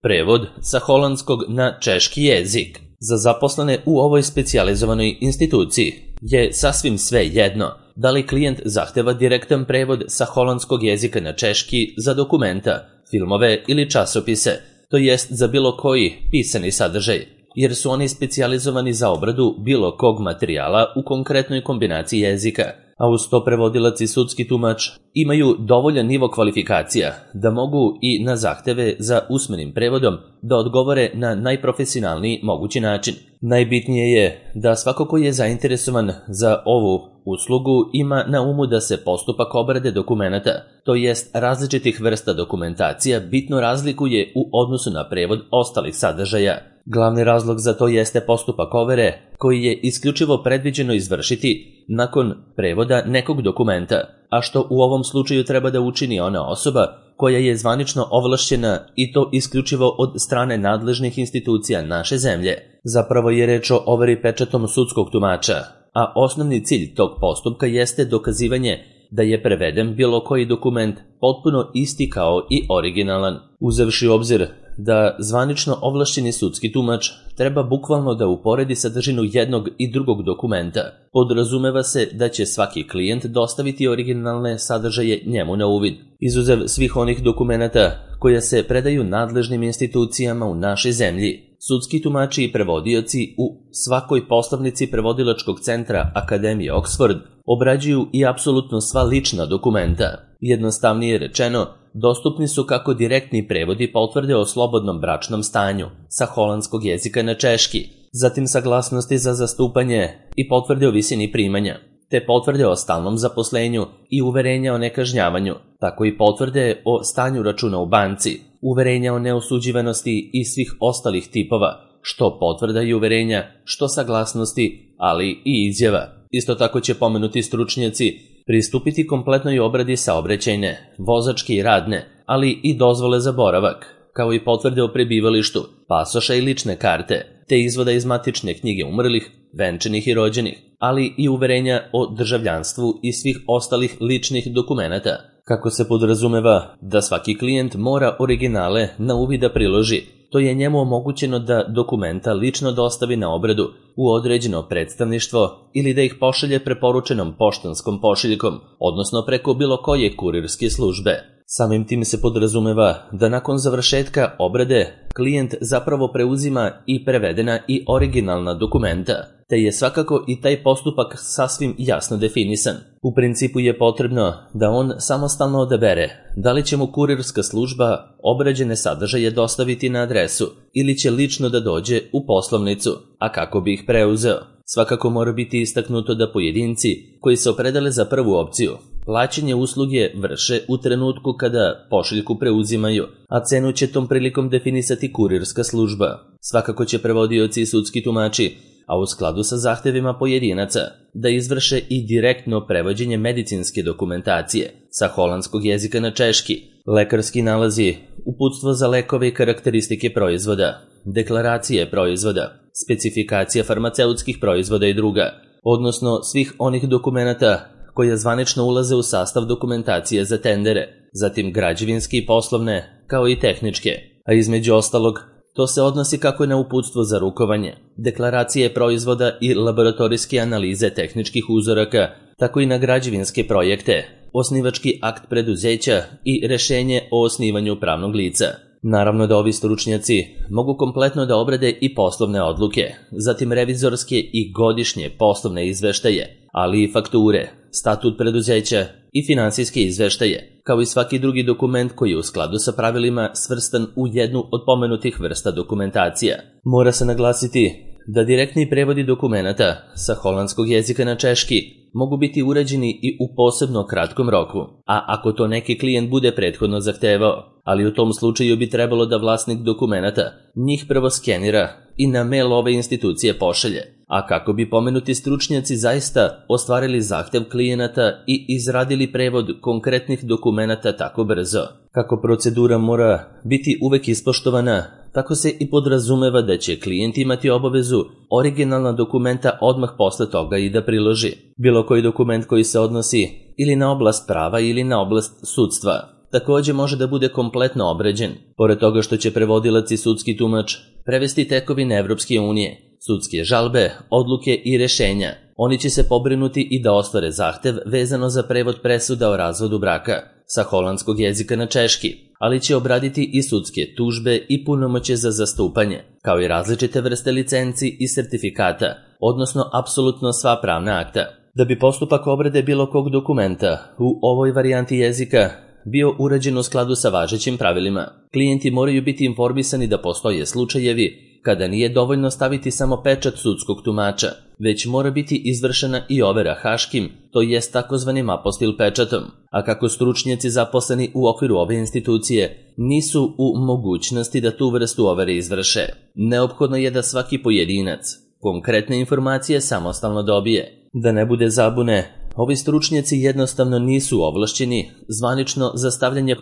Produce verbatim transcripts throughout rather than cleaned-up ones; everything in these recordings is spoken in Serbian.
Prevod sa holandskog na češki jezik. Za zaposlene u ovoj specijalizovanoj instituciji je sasvim sve jedno da li klijent zahteva direktan prevod sa holandskog jezika na češki za dokumenta, filmove ili časopise, to jest za bilo koji pisani sadržaj, jer su oni specijalizovani za obradu bilo kog materijala u konkretnoj kombinaciji jezika, a uz to prevodilac i sudski tumač imaju dovoljan nivo kvalifikacija da mogu i na zahteve za usmenim prevodom da odgovore na najprofesionalniji mogući način. Najbitnije je da svako ko je zainteresovan za ovu uslugu ima na umu da se postupak obrade dokumenata, to jest različitih vrsta dokumentacija, bitno razlikuje u odnosu na prevod ostalih sadržaja. Glavni razlog za to jeste postupak overe, koji je isključivo predviđeno izvršiti nakon prevoda nekog dokumenta, a što u ovom slučaju treba da učini ona osoba koja je zvanično ovlašćena i to isključivo od strane nadležnih institucija naše zemlje. Zapravo je reč o overi pečatom sudskog tumača, a osnovni cilj tog postupka jeste dokazivanje da je preveden bilo koji dokument potpuno isti kao i originalan. Uzevši u obzir da zvanično ovlašćeni sudski tumač treba bukvalno da uporedi sadržinu jednog i drugog dokumenta, podrazumeva se da će svaki klijent dostaviti originalne sadržaje njemu na uvid. Izuzev svih onih dokumenata koja se predaju nadležnim institucijama u našoj zemlji, sudski tumači i prevodioci u svakoj poslovnici prevodilačkog centra Akademije Oxford obrađuju i apsolutno sva lična dokumenta. Jednostavnije rečeno, dostupni su kako direktni prevodi potvrde o slobodnom bračnom stanju sa holandskog jezika na češki, zatim saglasnosti za zastupanje i potvrde o visini primanja, te potvrde o stalnom zaposlenju i uverenja o nekažnjavanju, tako i potvrde o stanju računa u banci, uverenja o neosuđivanosti i svih ostalih tipova, što potvrda i uverenja, što saglasnosti, ali i izjava. Isto tako će pomenuti stručnjaci pristupiti kompletnoj obradi saobraćajne, vozačke i radne, ali i dozvole za boravak, kao i potvrde o prebivalištu, pasoša i lične karte, te izvoda iz matične knjige umrlih, venčanih i rođenih, ali i uverenja o državljanstvu i svih ostalih ličnih dokumenata. Kako se podrazumeva da svaki klijent mora originale na uvid da priloži, to je njemu omogućeno da dokumenta lično dostavi na obradu u određeno predstavništvo ili da ih pošalje preporučenom poštanskom pošiljkom, odnosno preko bilo koje kurirske službe. Samim tim se podrazumeva da nakon završetka obrade klijent zapravo preuzima i prevedena i originalna dokumenta, te je svakako i taj postupak sasvim jasno definisan. U principu je potrebno da on samostalno odabere da li će mu kurirska služba obrađene sadržaje dostaviti na adresu ili će lično da dođe u poslovnicu, a kako bi ih preuzeo. Svakako mora biti istaknuto da pojedinci koji se opredele za prvu opciju plaćanje usluge vrše u trenutku kada pošiljku preuzimaju, a cenu će tom prilikom definisati kurirska služba. Svakako će prevodioci i sudski tumači, a u skladu sa zahtevima pojedinaca, da izvrše i direktno prevođenje medicinske dokumentacije sa holandskog jezika na češki, lekarski nalazi, uputstvo za lekove i karakteristike proizvoda, deklaracije proizvoda, specifikacija farmaceutskih proizvoda i druga, odnosno svih onih dokumenata koja zvanično ulaze u sastav dokumentacije za tendere, zatim građevinske i poslovne, kao i tehničke, a između ostalog, to se odnosi kako na uputstvo za rukovanje, deklaracije proizvoda i laboratorijske analize tehničkih uzoraka, tako i na građevinske projekte, osnivački akt preduzeća i rešenje o osnivanju pravnog lica. Naravno da ovi stručnjaci mogu kompletno da obrade i poslovne odluke, zatim revizorske i godišnje poslovne izveštaje, ali i fakture, statut preduzeća i finansijske izveštaje, kao i svaki drugi dokument koji je u skladu sa pravilima svrstan u jednu od pomenutih vrsta dokumentacija. Mora se naglasiti da direktni prevodi dokumenata sa holandskog jezika na češki mogu biti urađeni i u posebno kratkom roku, a ako to neki klijent bude prethodno zahtevao, ali u tom slučaju bi trebalo da vlasnik dokumenata njih prvo skenira i na mail ove institucije pošalje, a kako bi pomenuti stručnjaci zaista ostvarili zahtev klijenata i izradili prevod konkretnih dokumenata tako brzo. Kako procedura mora biti uvek ispoštovana, tako se i podrazumeva da će klijent imati obavezu originalna dokumenta odmah posle toga i da priloži bilo koji dokument koji se odnosi ili na oblast prava ili na oblast sudstva. takođe može da bude kompletno obrađen, pored toga što će prevodilac i sudski tumač prevesti tekovine Evropske unije, sudske žalbe, odluke i rešenja. Oni će se pobrinuti i da ostvare zahtev vezano za prevod presuda o razvodu braka sa holandskog jezika na češki, ali će obraditi i sudske tužbe i punomoćje za zastupanje, kao i različite vrste licenci i sertifikata, odnosno apsolutno sva pravna akta. Da bi postupak obrade bilo kog dokumenta u ovoj varijanti jezika bio urađen u skladu sa važećim pravilima, klijenti moraju biti informisani da postoje slučajevi kada nije dovoljno staviti samo pečat sudskog tumača, već mora biti izvršena i overa haškim, to jest takozvanim apostil pečatom, a kako stručnjaci zaposleni u okviru ove institucije nisu u mogućnosti da tu vrstu overe izvrše, neophodno je da svaki pojedinac konkretne informacije samostalno dobije. Da ne bude zabune, ovi stručnjaci jednostavno nisu ovlašćeni zvanično za stavljanje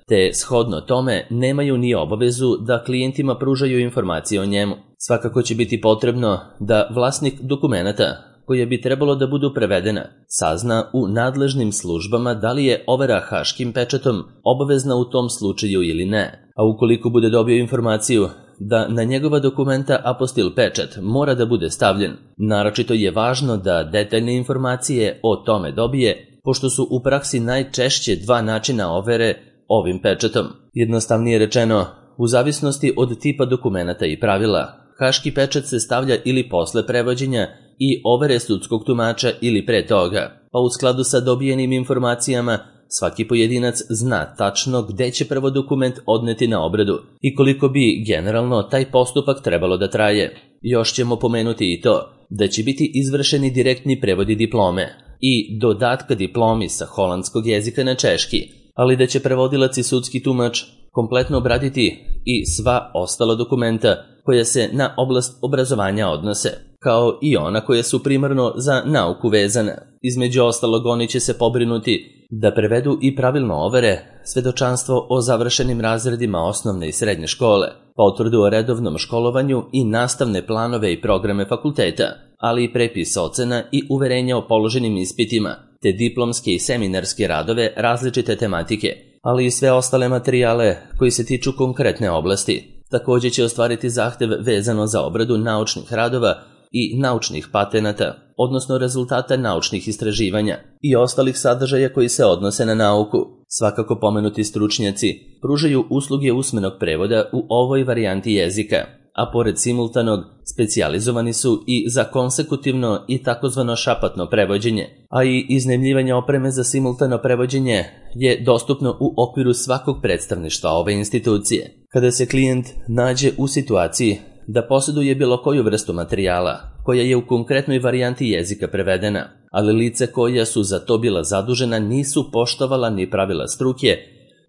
te shodno tome nemaju ni obavezu da klijentima pružaju informacije o njemu. Svakako će biti potrebno da vlasnik dokumenata, koje bi trebalo da budu prevedena, sazna u nadležnim službama da li je overa haškim pečatom obavezna u tom slučaju ili ne, a ukoliko bude dobio informaciju da na njegova dokumenta apostil pečat mora da bude stavljen, naročito je važno da detaljne informacije o tome dobije, pošto su u praksi najčešće dva načina overe ovim pečatom. Jednostavnije rečeno, u zavisnosti od tipa dokumenata i pravila, haški pečat se stavlja ili posle prevođenja i overe sudskog tumača ili pre toga, pa u skladu sa dobijenim informacijama svaki pojedinac zna tačno gde će prvo dokument odneti na obradu i koliko bi generalno taj postupak trebalo da traje. Još ćemo pomenuti i to da će biti izvršeni direktni prevodi diplome i dodatka diplomi sa holandskog jezika na češki, ali da će prevodilac i sudski tumač kompletno obraditi i sva ostala dokumenta koja se na oblast obrazovanja odnose, kao i ona koja su primarno za nauku vezana. Između ostalog, oni će se pobrinuti da prevedu i pravilno overe svedočanstvo o završenim razredima osnovne i srednje škole, potvrdu o redovnom školovanju i nastavne planove i programe fakulteta, ali i prepis ocena i uverenja o položenim ispitima, te diplomske i seminarske radove različite tematike, ali i sve ostale materijale koji se tiču konkretne oblasti. Takođe će ostvariti zahtev vezano za obradu naučnih radova i naučnih patenata, odnosno rezultata naučnih istraživanja i ostalih sadržaja koji se odnose na nauku. Svakako pomenuti stručnjaci pružaju usluge usmenog prevoda u ovoj varijanti jezika, a pored simultanog, specijalizovani su i za konsekutivno i takozvano šapatno prevođenje, a i iznajmljivanje opreme za simultano prevođenje je dostupno u okviru svakog predstavništva ove institucije. Kada se klijent nađe u situaciji da posjeduje bilo koju vrstu materijala koja je u konkretnoj varijanti jezika prevedena, ali lice koja su za to bila zadužena nisu poštovala ni pravila struke,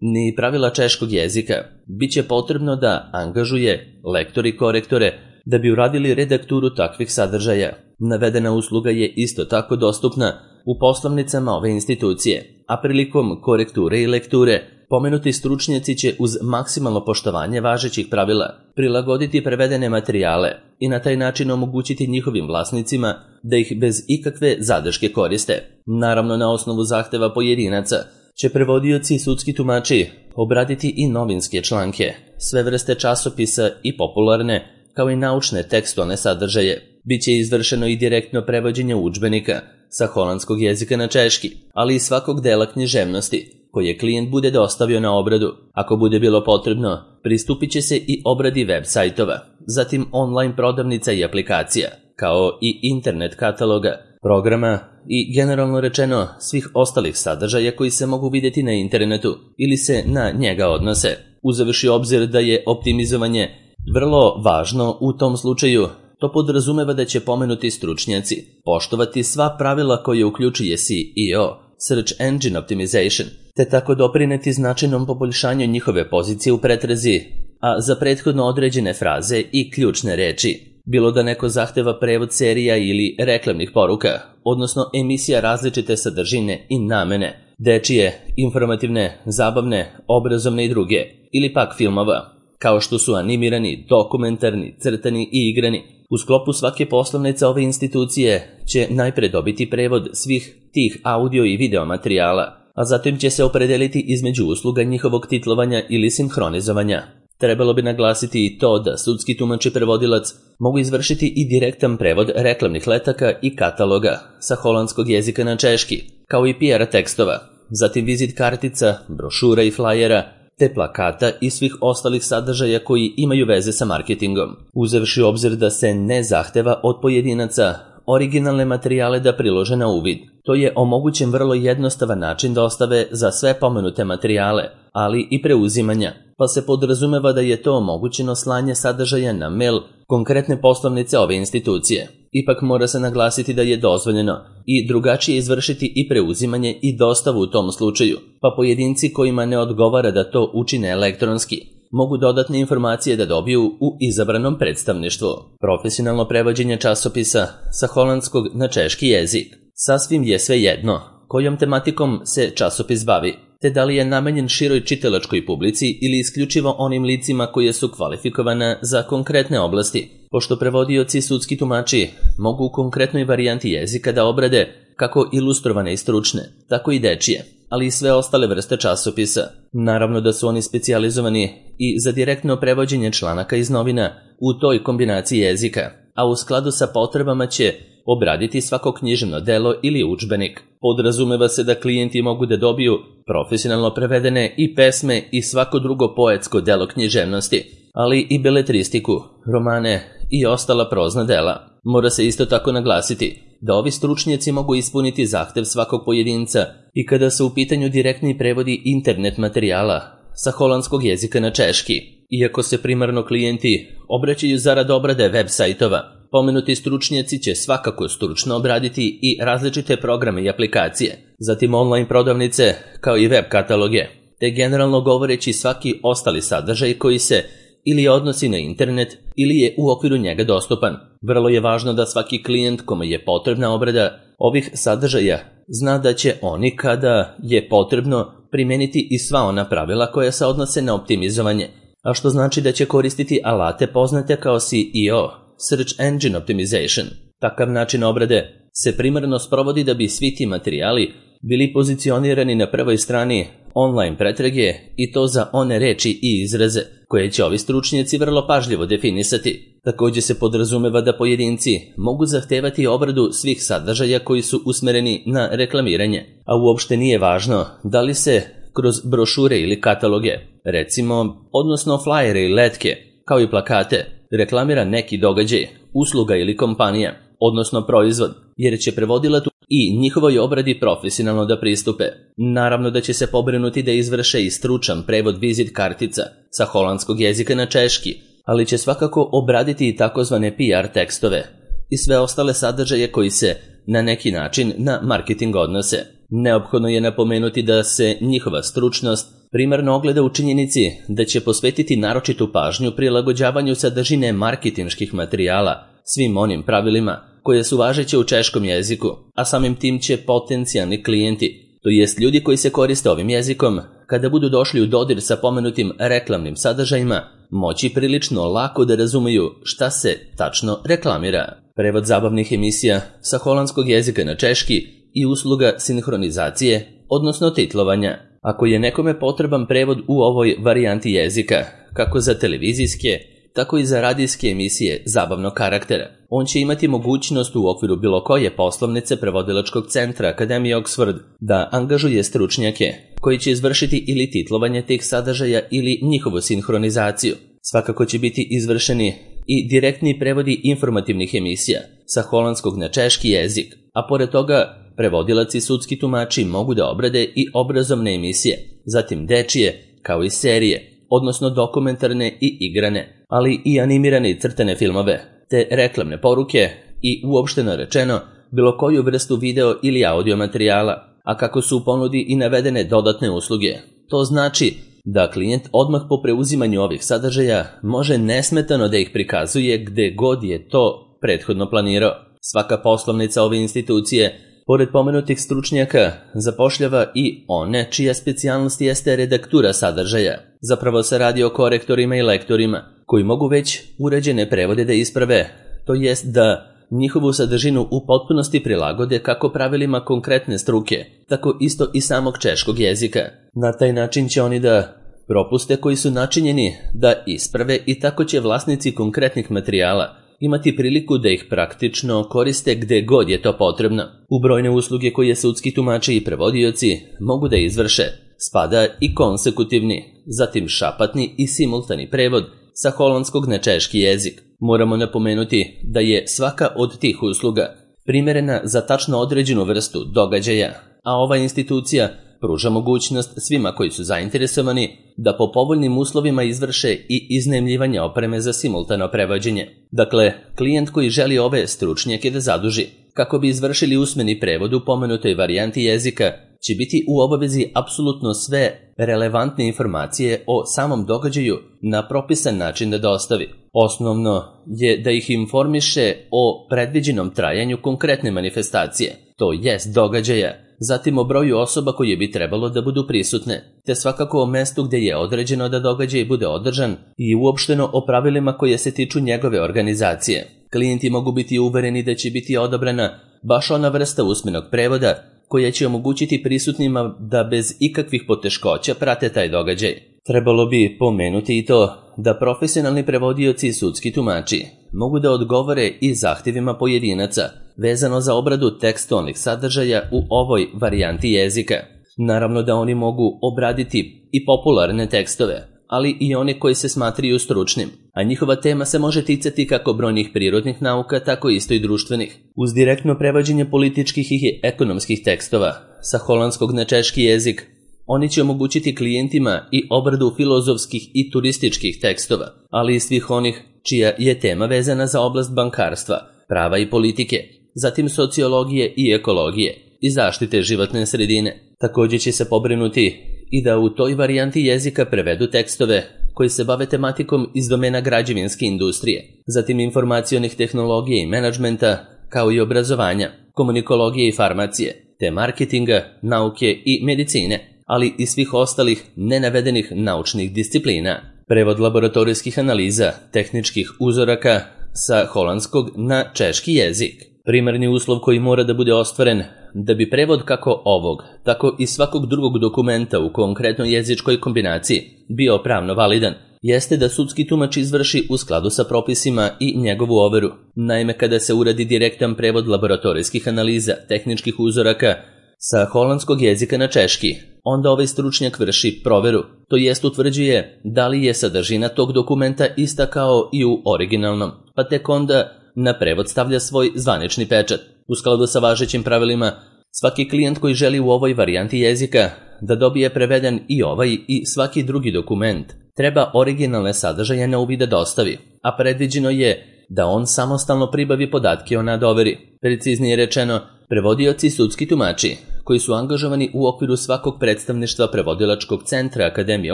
ni pravila češkog jezika, bit će potrebno da angažuje lektori i korektore da bi uradili redakturu takvih sadržaja. Navedena usluga je isto tako dostupna u poslovnicama ove institucije, a prilikom korekture i lekture pomenuti stručnjaci će uz maksimalno poštovanje važećih pravila prilagoditi prevedene materijale i na taj način omogućiti njihovim vlasnicima da ih bez ikakve zadrške koriste. Naravno, na osnovu zahteva pojedinaca će prevodioci i sudski tumači obraditi i novinske članke, sve vrste časopisa i popularne, kao i naučne tekstualne sadržaje. Biće izvršeno i direktno prevođenje udžbenika sa holandskog jezika na češki, ali i svakog dela književnosti koje klijent bude dostavio na obradu. Ako bude bilo potrebno, pristupit će se i obradi web sajtova, zatim online prodavnica i aplikacija, kao i internet kataloga, programa i generalno rečeno svih ostalih sadržaja koji se mogu vidjeti na internetu ili se na njega odnose. Uzevši obzir da je optimizovanje vrlo važno u tom slučaju, to podrazumeva da će pomenuti stručnjaci poštovati sva pravila koje uključuje S E O, Search Engine Optimization, te tako doprineti značajnom poboljšanju njihove pozicije u pretrazi, a za prethodno određene fraze i ključne reči, bilo da neko zahteva prevod serija ili reklamnih poruka, odnosno emisija različite sadržine i namene, dečije, informativne, zabavne, obrazovne i druge, ili pak filmova, kao što su animirani, dokumentarni, crtani i igrani. U sklopu svake poslovnice ove institucije će najpre dobiti prevod svih tih audio i video materijala, a zatim će se opredeliti između usluga njihovog titlovanja ili sinhronizovanja. Trebalo bi naglasiti i to da sudski tumač i prevodilac mogu izvršiti i direktan prevod reklamnih letaka i kataloga sa holandskog jezika na češki, kao i P R tekstova, zatim vizit kartica, brošura i flajera, te plakata i svih ostalih sadržaja koji imaju veze sa marketingom, uzevši u obzir da se ne zahteva od pojedinaca originalne materijale da prilože na uvid. To je omogućen vrlo jednostavan način dostave za sve pomenute materijale, ali i preuzimanja, pa se podrazumeva da je to omogućeno slanje sadržaja na mail konkretne poslovnice ove institucije. Ipak mora se naglasiti da je dozvoljeno i drugačije izvršiti i preuzimanje i dostavu u tom slučaju, pa pojedinci kojima ne odgovara da to učine elektronski mogu dodatne informacije da dobiju u izabranom predstavništvu. Profesionalno prevođenje časopisa sa holandskog na češki jezik. Sasvim je sve jedno kojom tematikom se časopis bavi, te da li je namenjen široj čitalačkoj publici ili isključivo onim licima koje su kvalifikovane za konkretne oblasti, pošto prevodioci i sudski tumači mogu u konkretnoj varijanti jezika da obrade kako ilustrovane i stručne, tako i dečije, ali i sve ostale vrste časopisa. Naravno da su oni specijalizovani i za direktno prevođenje članaka iz novina u toj kombinaciji jezika, a u skladu sa potrebama će obraditi svako književno delo ili udžbenik. Podrazumeva se da klijenti mogu da dobiju profesionalno prevedene i pesme i svako drugo poetsko delo književnosti, ali i beletristiku, romane i ostala prozna dela. Mora se isto tako naglasiti da ovi stručnjaci mogu ispuniti zahtev svakog pojedinca i kada su u pitanju direktni prevodi internet materijala sa holandskog jezika na češki. Iako se primarno klijenti obraćaju zarad obrade web sajtova, pomenuti stručnjaci će svakako stručno obraditi i različite programe i aplikacije, zatim online prodavnice kao i web kataloge, te generalno govoreći svaki ostali sadržaj koji se ili odnosi na internet ili je u okviru njega dostupan. Vrlo je važno da svaki klijent kome je potrebna obrada ovih sadržaja zna da će oni kada je potrebno primeniti i sva ona pravila koja se odnose na optimizovanje, a što znači da će koristiti alate poznate kao S E O, Search Engine Optimization. Takav način obrade se primarno sprovodi da bi svi ti materijali bili pozicionirani na prvoj strani online pretrage i to za one reči i izraze koje će ovi stručnjaci vrlo pažljivo definisati. Također se podrazumeva da pojedinci mogu zahtevati obradu svih sadržaja koji su usmereni na reklamiranje, a uopšte nije važno da li se kroz brošure ili kataloge, recimo, odnosno flajere i letke, kao i plakate, reklamira neki događaj, usluga ili kompanija, odnosno proizvod, jer će prevodilac i njihovoj obradi profesionalno da pristupe. Naravno da će se pobrinuti da izvrše i stručan prevod vizit kartica sa holandskog jezika na češki, ali će svakako obraditi i takozvane P R tekstove i sve ostale sadržaje koji se na neki način na marketing odnose. Neophodno je napomenuti da se njihova stručnost primarno ogleda u činjenici da će posvetiti naročitu pažnju prilagođavanju sadržine marketinških materijala svim onim pravilima koje su važeće u češkom jeziku, a samim tim će potencijalni klijenti, to jest ljudi koji se koriste ovim jezikom, kada budu došli u dodir sa pomenutim reklamnim sadržajima, moći prilično lako da razumeju šta se tačno reklamira. Prevod zabavnih emisija sa holandskog jezika na češki i usluga sinhronizacije, odnosno titlovanja. Ako je nekome potreban prevod u ovoj varijanti jezika, kako za televizijske, tako i za radijske emisije zabavnog karaktera, on će imati mogućnost u okviru bilo koje poslovnice prevodilačkog centra Akademije Oxford da angažuje stručnjake koji će izvršiti ili titlovanje tih sadržaja ili njihovu sinhronizaciju. Svakako će biti izvršeni i direktni prevodi informativnih emisija sa holandskog na češki jezik, a pored toga prevodilac i sudski tumači mogu da obrade i obrazovne emisije, zatim dečije kao i serije, odnosno dokumentarne i igrane, ali i animirane i crtane filmove, te reklamne poruke i uopšteno rečeno bilo koju vrstu video ili audio materijala, a kako su u ponudi i navedene dodatne usluge. To znači da klijent odmah po preuzimanju ovih sadržaja može nesmetano da ih prikazuje gde god je to prethodno planirao. Svaka poslovnica ove institucije, pored pomenutih stručnjaka, zapošljava i one čija specijalnost jeste redaktura sadržaja. Zapravo se radi o korektorima i lektorima, koji mogu već uređene prevode da isprave, to jest da njihovu sadržinu u potpunosti prilagode kako pravilima konkretne struke, tako isto i samog češkog jezika. Na taj način će oni da propuste koji su načinjeni da isprave i tako će vlasnici konkretnih materijala imati priliku da ih praktično koriste gde god je to potrebno. U brojne usluge koje sudski tumači i prevodioci mogu da izvrše spada i konsekutivni, zatim šapatni i simultani prevod sa holandskog na češki jezik. Moramo napomenuti da je svaka od tih usluga primerena za tačno određenu vrstu događaja, a ova institucija pruža mogućnost svima koji su zainteresovani da po povoljnim uslovima izvrše i iznajmljivanje opreme za simultano prevođenje. Dakle, klijent koji želi ove stručnjake da zaduži kako bi izvršili usmeni prevod u pomenutoj varijanti jezika će biti u obavezi apsolutno sve relevantne informacije o samom događaju na propisan način da dostavi. Osnovno je da ih informiše o predviđenom trajanju konkretne manifestacije, to jest događaja, zatim o broju osoba koje bi trebalo da budu prisutne, te svakako o mestu gde je određeno da događaj bude održan i uopšteno o pravilima koje se tiču njegove organizacije. Klijenti mogu biti uvereni da će biti odabrana baš ona vrsta usmenog prevoda koja će omogućiti prisutnima da bez ikakvih poteškoća prate taj događaj. Trebalo bi pomenuti i to da profesionalni prevodioci i sudski tumači mogu da odgovore i zahtjevima pojedinaca vezano za obradu tekstualnih sadržaja u ovoj varijanti jezika. Naravno da oni mogu obraditi i popularne tekstove, ali i one koji se smatraju stručnim, a njihova tema se može ticati kako brojnih prirodnih nauka, tako isto i društvenih. Uz direktno prevođenje političkih i ekonomskih tekstova sa holandskog na češki jezik, oni će omogućiti klijentima i obradu filozofskih i turističkih tekstova, ali i svih onih čija je tema vezana za oblast bankarstva, prava i politike, zatim sociologije i ekologije i zaštite životne sredine. Također će se pobrinuti i da u toj varijanti jezika prevedu tekstove koji se bave tematikom iz domena građevinske industrije, zatim informacionih tehnologija i menadžmenta, kao i obrazovanja, komunikologije i farmacije, te marketinga, nauke i medicine, ali i svih ostalih nenavedenih naučnih disciplina. Prevod laboratorijskih analiza, tehničkih uzoraka sa holandskog na češki jezik. Primarni uslov koji mora da bude ostvaren da bi prevod kako ovog, tako i svakog drugog dokumenta u konkretnoj jezičkoj kombinaciji bio pravno validan, jeste da sudski tumač izvrši u skladu sa propisima i njegovu overu. Naime, kada se uradi direktan prevod laboratorijskih analiza, tehničkih uzoraka sa holandskog jezika na češki, onda ovaj stručnjak vrši proveru, to jest utvrđuje da li je sadržina tog dokumenta ista kao i u originalnom, pa tek onda na prevod stavlja svoj zvanični pečat. U skladu sa važećim pravilima, svaki klijent koji želi u ovoj varijanti jezika da dobije preveden i ovaj i svaki drugi dokument, treba originalne sadržaje na uvid da dostavi, a predviđeno je da on samostalno pribavi podatke o nadoveri. Preciznije rečeno, prevodioci i sudski tumači, koji su angažovani u okviru svakog predstavništva prevodilačkog centra Akademije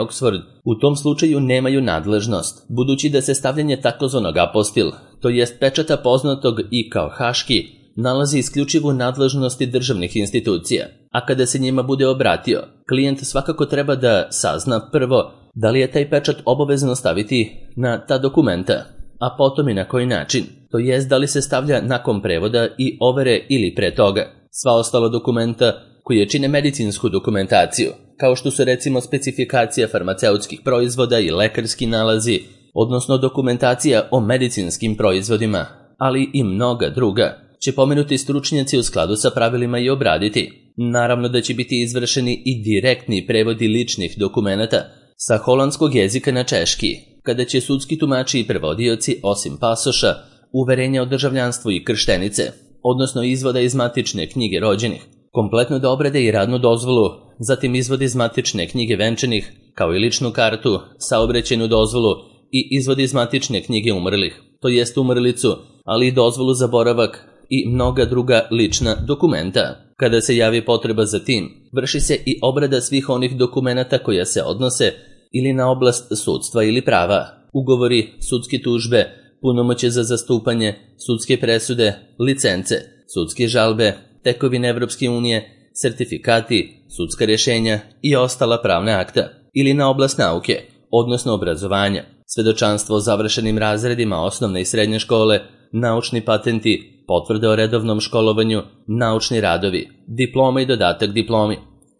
Oxford, u tom slučaju nemaju nadležnost, budući da se stavljanje takozvanog apostil, to jest pečata poznatog i kao haški, nalazi isključivo u nadležnosti državnih institucija, a kada se njima bude obratio, klijent svakako treba da sazna prvo da li je taj pečat obavezno staviti na ta dokumenta, a potom i na koji način, to jest da li se stavlja nakon prevoda i overe ili pre toga. Sva ostala dokumenta koje čine medicinsku dokumentaciju, kao što su recimo specifikacija farmaceutskih proizvoda i lekarski nalazi, odnosno dokumentacija o medicinskim proizvodima, ali i mnoga druga, će pomenuti stručnjaci u skladu sa pravilima i obraditi. Naravno da će biti izvršeni i direktni prevodi ličnih dokumenata sa holandskog jezika na češki, kada će sudski tumači i prevodioci, osim pasoša, uverenja o državljanstvu i krštenice, odnosno izvoda iz matične knjige rođenih, kompletno da obrade i radnu dozvolu, zatim izvod iz matične knjige venčanih, kao i ličnu kartu, saobraćajnu dozvolu i izvod iz matične knjige umrlih, to jest umrlicu, ali i dozvolu za boravak i mnoga druga lična dokumenta. Kada se javi potreba za tim, vrši se i obrada svih onih dokumenata koja se odnose ili na oblast sudstva ili prava, ugovori, sudske tužbe, punomoćje za zastupanje, sudske presude, licence, sudske žalbe, tekovine Evropske unije, sertifikati, sudska rješenja i ostala pravna akta, ili na oblast nauke, odnosno obrazovanja, svedočanstvo o završenim razredima osnovne i srednje škole, naučni patenti, potvrde o redovnom školovanju, naučni radovi, diploma i dodatak diplomi,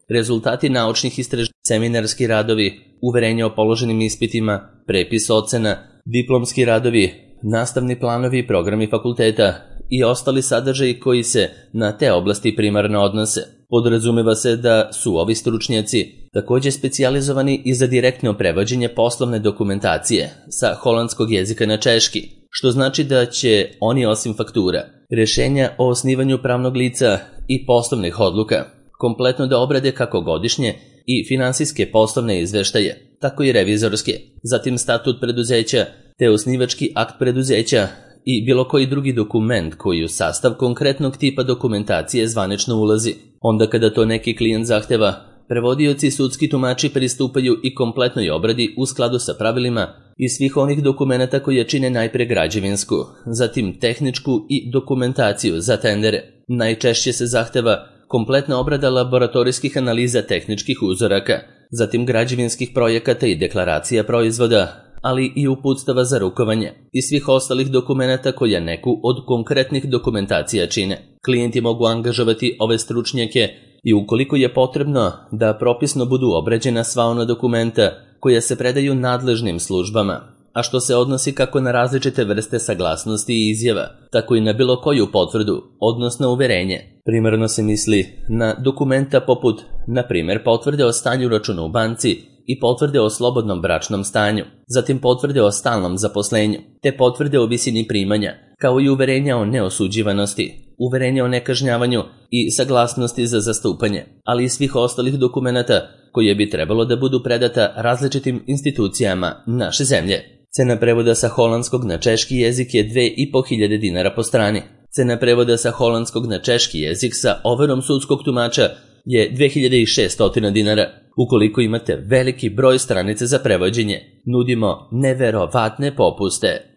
rezultati naučnih istraživanja, seminarski radovi, uverenje o položenim ispitima, prepis ocena, diplomski radovi, nastavni planovi i programi fakulteta i ostali sadržaji koji se na te oblasti primarno odnose. Podrazumeva se da su ovi stručnjaci takođe specijalizovani i za direktno prevođenje poslovne dokumentacije sa holandskog jezika na češki, što znači da će oni osim faktura, rešenja o osnivanju pravnog lica i poslovnih odluka kompletno da obrade kako godišnje i finansijske poslovne izveštaje, tako i revizorske, zatim statut preduzeća te osnivački akt preduzeća i bilo koji drugi dokument koji u sastav konkretnog tipa dokumentacije zvanično ulazi. Onda kada to neki klijent zahteva, prevodioci i sudski tumači pristupaju i kompletnoj obradi u skladu sa pravilima i svih onih dokumenta koje čine najpre građevinsku, zatim tehničku i dokumentaciju za tendere. Najčešće se zahteva kompletna obrada laboratorijskih analiza tehničkih uzoraka, zatim građevinskih projekata i deklaracija proizvoda, ali i uputstava za rukovanje i svih ostalih dokumenata koja neku od konkretnih dokumentacija čine. Klijenti mogu angažovati ove stručnjake i ukoliko je potrebno da propisno budu obrađena sva ona dokumenta koja se predaju nadležnim službama, a što se odnosi kako na različite vrste saglasnosti i izjava, tako i na bilo koju potvrdu, odnosno uverenje. Primarno se misli na dokumenta poput, na primjer, potvrde o stanju računa u banci i potvrde o slobodnom bračnom stanju, zatim potvrde o stalnom zaposlenju, te potvrde o visini primanja, kao i uverenja o neosuđivanosti, uverenja o nekažnjavanju i saglasnosti za zastupanje, ali i svih ostalih dokumenata koje bi trebalo da budu predata različitim institucijama naše zemlje. Cena prevoda sa holandskog na češki jezik je dve i po hiljade dinara po strani. Cena prevoda sa holandskog na češki jezik sa overom sudskog tumača je dve hiljade šesto dinara. Ukoliko imate veliki broj stranica za prevođenje, nudimo neverovatne popuste.